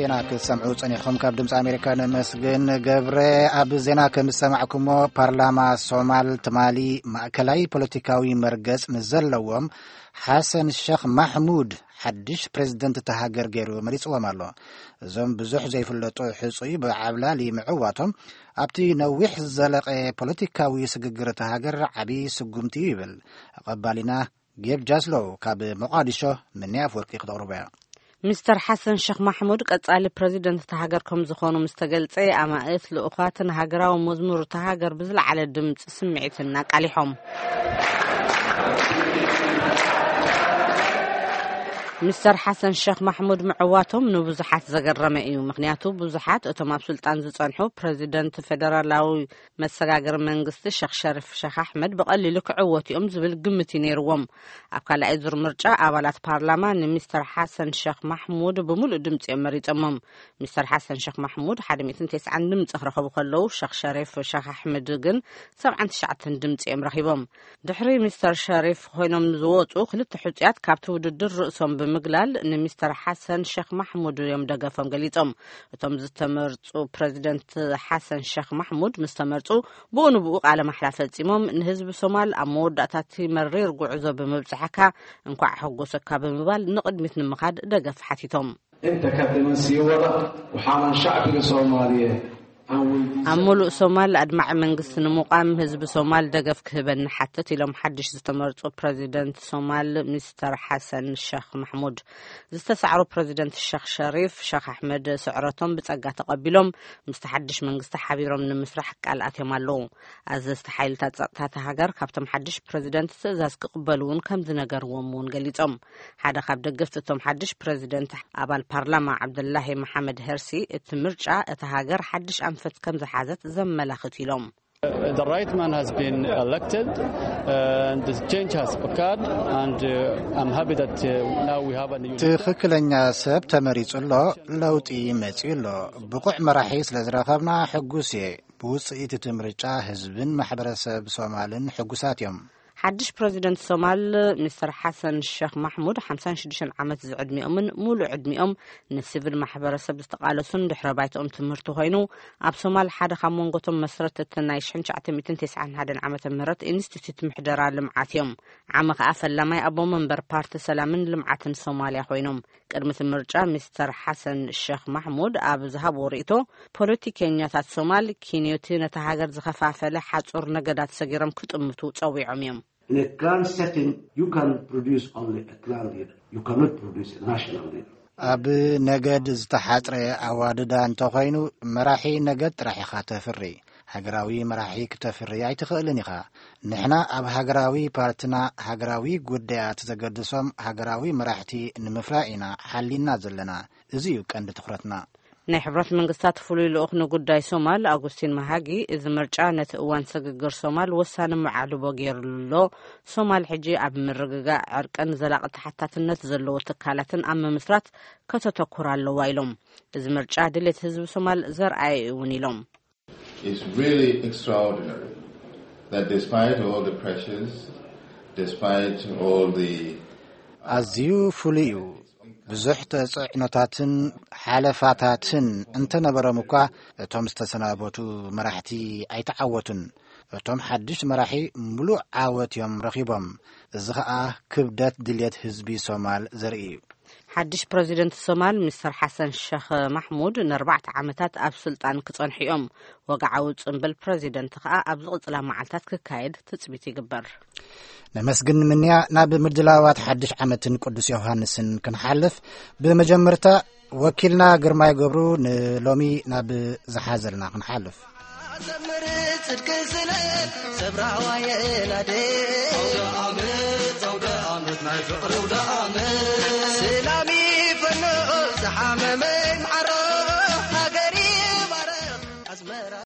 ዜና ክትሰምዑ ጸኒሕኩም ካብ ድምፂ ኣሜሪካ ነመስግን። ገብረ፣ ኣብ ዜና ከም ዝሰማዕኩሞ፣ ፓርላማ ሶማል ትማሊ ማእከላይ ፖለቲካዊ መርገጽ ንዘለዎም ሓሰን ሸኽ ማሕሙድ ሓድሽ ፕሬዝደንት እታ ሃገር ገይሩ መሪጽዎም ኣሎ። እዞም ብዙሕ ዘይፍለጡ ሕጹይ ብዓብላሊ ምዕዋቶም ኣብቲ ነዊሕ ዝዘለቐ ፖለቲካዊ ስግግር እታ ሃገር ዓቢ ስጉምቲ እዩ ይብል። ኣቐባሊና ጌብ ጃስሎው ካብ ሞቓዲሾ ምንያ ኣፍወርቂ ክተቕርቦ እያ። ሚስተር ሓሰን ሸኽ ማሕሙድ ቀጻሊ ፕረዚደንት እታ ሃገር ከም ዝኾኑ ምስ ተገልጸ፣ ኣማእት ልኡኻትን ሃገራዊ መዝሙር እታ ሃገር ብዝለዓለ ድምጺ ስምዒትን ኣቃሊሖም። ሚስተር ሓሰን ሸኽ ማሕሙድ ምዕዋቶም ንብዙሓት ዘገረመ እዩ። ምኽንያቱ ብዙሓት እቶም ኣብ ስልጣን ዝጸንሑ ፕረዚደንት ፌደራላዊ መሰጋገሪ መንግስቲ ሸኽ ሸሪፍ ሸኽ ኣሕመድ ብቐሊሉ ክዕወቱ እዮም ዝብል ግምት እዩ ነይርዎም። ኣብ ካልኣይ ዙር ምርጫ ኣባላት ፓርላማ ንሚስተር ሓሰን ሸኽ ማሕሙድ ብምሉእ ድምፂ እዮም መሪፀሞም። ሚስተር ሓሰን ሸኽ ማሕሙድ ሓደ ሚእትን ተስዓን ድምፂ ክረኸቡ ከለዉ፣ ሸኽ ሸሪፍ ሸኽ ኣሕመድ ግን ሰብዓን ትሽዓተን ድምፂ እዮም ረኺቦም። ድሕሪ ሚስተር ሸሪፍ ኮይኖም ዝወፁ ክልተ ሕፁያት ካብቲ ውድድር ርእሶም ብምግላል ንሚስተር ሓሰን ሸኽ ማሕሙድ እዮም ደገፎም ገሊፆም። እቶም ዝተመርፁ ፕረዚደንት ሓሰን ሸኽ ማሕሙድ ምስ ተመርፁ ብኡ ንብኡ ቃለ ማሕላ ፈፂሞም፣ ንህዝቢ ሶማል ኣብ መወዳእታ እቲ መሪር ጉዕዞ ብምብፅሐካ እንኳዕ ኣሐጎሰካ ብምባል ንቕድሚት ንምኻድ ደገፍ ሓቲቶም። انت كتمن سيوضا وحالا شعبك صوماليا. ኣብ ሙሉእ ሶማል ኣድማዒ መንግስቲ ንምቋም ህዝቢ ሶማል ደገፍ ክህበኒ ሓትት ኢሎም ሓድሽ ዝተመርፁ ፕረዚደንት ሶማል ሚስተር ሓሰን ሸኽ ማሕሙድ። ዝተሳዕሩ ፕረዚደንት ሸኽ ሸሪፍ ሸኽ ኣሕመድ ስዕረቶም ብጸጋ ተቐቢሎም ምስቲ ሓድሽ መንግስቲ ሓቢሮም ንምስራሕ ቃል ኣትዮም ኣለዉ። ኣዘዝቲ ሓይልታት ጸጥታ እታ ሃገር ካብቶም ሓድሽ ፕረዚደንት ትእዛዝ ክቕበሉ እውን ከም ዝነገርዎም እውን ገሊጾም። ሓደ ካብ ደገፍቲ እቶም ሓድሽ ፕረዚደንት ኣባል ፓርላማ ዓብደላሂ መሓመድ ሄርሲ፣ እቲ ምርጫ እታ ሃገር ሓድሽ ኣንፈት ከም ዝሓዘት ዘመላኽት ኢሎም። The right man has been elected, uh, and the change has occurred, and, uh, I'm happy that, uh, now we have a new ትኽክለኛ ሰብ ተመሪጹ ኣሎ፣ ለውጢ መጺኡ ኣሎ። ብቑዕ መራሒ ስለ ዝረኸብና ሕጉስ እየ። ብውጽኢት እቲ ምርጫ ህዝብን ማሕበረሰብ ሶማልን ሕጉሳት እዮም። ሓድሽ ፕረዚደንት ሶማል ሚስተር ሓሰን ሸኽ ማሕሙድ ሓምሳን ሽዱሽተን ዓመት ዝዕድሚኦምን ሙሉእ ዕድሚኦም ንሲቪል ማሕበረሰብ ዝተቓለሱን ድሕረ ባይትኦም ትምህርቲ ኮይኑ፣ ኣብ ሶማል ሓደ ካብ መንጎቶም መስረትቲ ናይ ሽሕን ትሽዓተ ሚእትን ተስዓን ሓደን ዓመተ ምህረት ኢንስቲትዩት ምሕደራ ልምዓት እዮም። ዓሚ ከኣ ፈላማይ ኣቦ መንበር ፓርቲ ሰላምን ልምዓትን ሶማልያ ኮይኖም። ቅድሚ እቲ ምርጫ ሚስተር ሓሰን ሸኽ ማሕሙድ ኣብ ዝሃብዎ ርእይቶ፣ ፖለቲከኛታት ሶማል ኪንዮቲ ነታ ሃገር ዝኸፋፈለ ሓጹር ነገዳት ሰጊሮም ክጥምቱ ጸዊዖም እዮም። In a clan setting, you can produce only a clan leader. You cannot produce a national leader. ኣብ ነገድ ዝተሓጽረ ኣዋድዳ እንተኾይኑ፣ መራሒ ነገድ ጥራሕ ኢኻ ተፍሪ። ሃገራዊ መራሒ ክተፍሪ ኣይትኽእልን ኢኻ። ንሕና ኣብ ሃገራዊ ፓርትና ሃገራዊ ጉዳያት ዘገድሶም ሃገራዊ መራሕቲ ንምፍራይ ኢና ሓሊና ዘለና። እዚ እዩ ቀንዲ ትኹረትና። ናይ ሕብረት መንግስታት ፍሉይ ልኡኽ ንጉዳይ ሶማል ኣጉስቲን መሃጊ፣ እዚ ምርጫ ነቲ እዋን ስግግር ሶማል ወሳኒ መዓልቦ ገይሩሉ ኣሎ። ሶማል ሕጂ ኣብ ምርግጋእ፣ ዕርቅን ዘላቒ ተሓታትነት ዘለዎ ትካላትን ኣብ ምምስራት ከተተኩር ኣለዋ ኢሎም። እዚ ምርጫ ድሌት ህዝቢ ሶማል ዘርኣየ እውን ኢሎም። It's really extraordinary that despite all the pressures, despite all the ኣዝዩ ፍሉይ እዩ። ብዙሕ ተጽዕኖታትን ሓለፋታትን እንተነበሮም እኳ፣ እቶም ዝተሰናበቱ መራሕቲ ኣይተዓወቱን። እቶም ሓድሽ መራሒ ምሉእ ዓወት እዮም ረኺቦም። እዚ ኸኣ ክብደት ድልየት ህዝቢ ሶማል ዘርኢ እዩ። ሓድሽ ፕረዚደንት ሶማል ሚስተር ሓሰን ሸኽ ማሕሙድ ንኣርባዕተ ዓመታት ኣብ ስልጣን ክጸንሑ እዮም። ወግዓዊ ጽምብል ፕረዚደንት ከኣ ኣብ ዝቕጽላ መዓልታት ክካየድ ትጽቢት ይግበር። ነመስግን ምንያ። ናብ ምድላዋት ሓድሽ ዓመትን ቅዱስ ዮሃንስን ክንሓልፍ፣ ብመጀመርታ ወኪልና ግርማይ ገብሩ ንሎሚ ናብ ዝሓዘልና ክንሓልፍ። ዘምር ጽድቅ ስለ ሰብራዋ የላደ